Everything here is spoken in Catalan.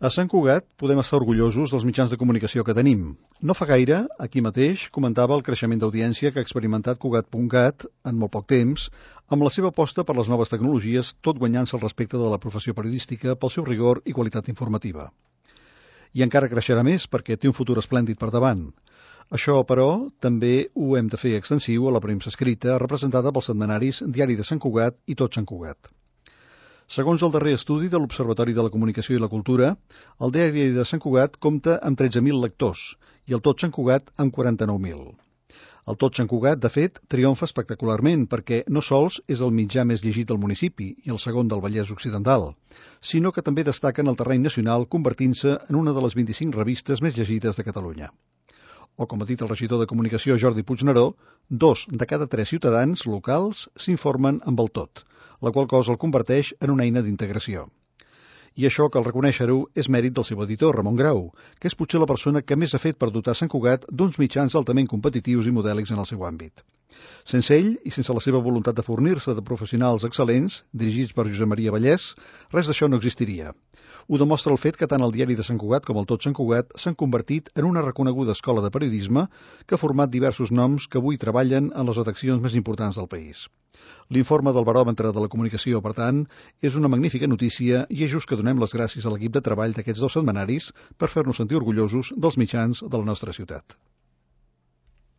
A Sant Cugat podem estar orgullosos dels mitjans de comunicació que tenim. No fa gaire, aquí mateix, comentava el creixement d'audiència que ha experimentat Cugat.cat en molt poc temps, amb la seva aposta per les noves tecnologies, tot guanyant-se el respecte de la professió periodística pel seu rigor i qualitat informativa. I encara creixerà més perquè té un futur esplèndid per davant. Això, però, també ho hem de fer extensiu a la premsa escrita representada pels setmanaris Diari de Sant Cugat i Tot Sant Cugat. Segons el darrer estudi de l'Observatori de la Comunicació i la Cultura, el Diari de Sant Cugat compta amb 13.000 lectors i el Tot Sant Cugat amb 49.000. El Tot Sant Cugat, de fet, triomfa espectacularment perquè no sols és el mitjà més llegit del municipi i el segon del Vallès Occidental, sinó que també destaca en el terreny nacional convertint-se en una de les 25 revistes més llegides de Catalunya. O, com ha dit el regidor de Comunicació Jordi Puigneró, 2 de cada 3 ciutadans locals s'informen amb el Tot, la qual cosa el converteix en una eina d'integració. I això, cal reconèixer-ho, és mèrit del seu editor, Ramon Grau, que és potser la persona que més ha fet per dotar Sant Cugat d'uns mitjans altament competitius i modèlics en el seu àmbit. Sense ell, i sense la seva voluntat de fornir-se de professionals excel·lents, dirigits per Josep Maria Vallès, res d'això no existiria. Ho demostra el fet que tant el Diari de Sant Cugat com el Tot Sant Cugat s'han convertit en una reconeguda escola de periodisme que ha format diversos noms que avui treballen en les redaccions més importants del país. L'informe del Baròmetre de la Comunicació, per tant, és una magnífica notícia i és just que donem les gràcies a l'equip de treball d'aquests 2 setmanaris per fer-nos sentir orgullosos dels mitjans de la nostra ciutat.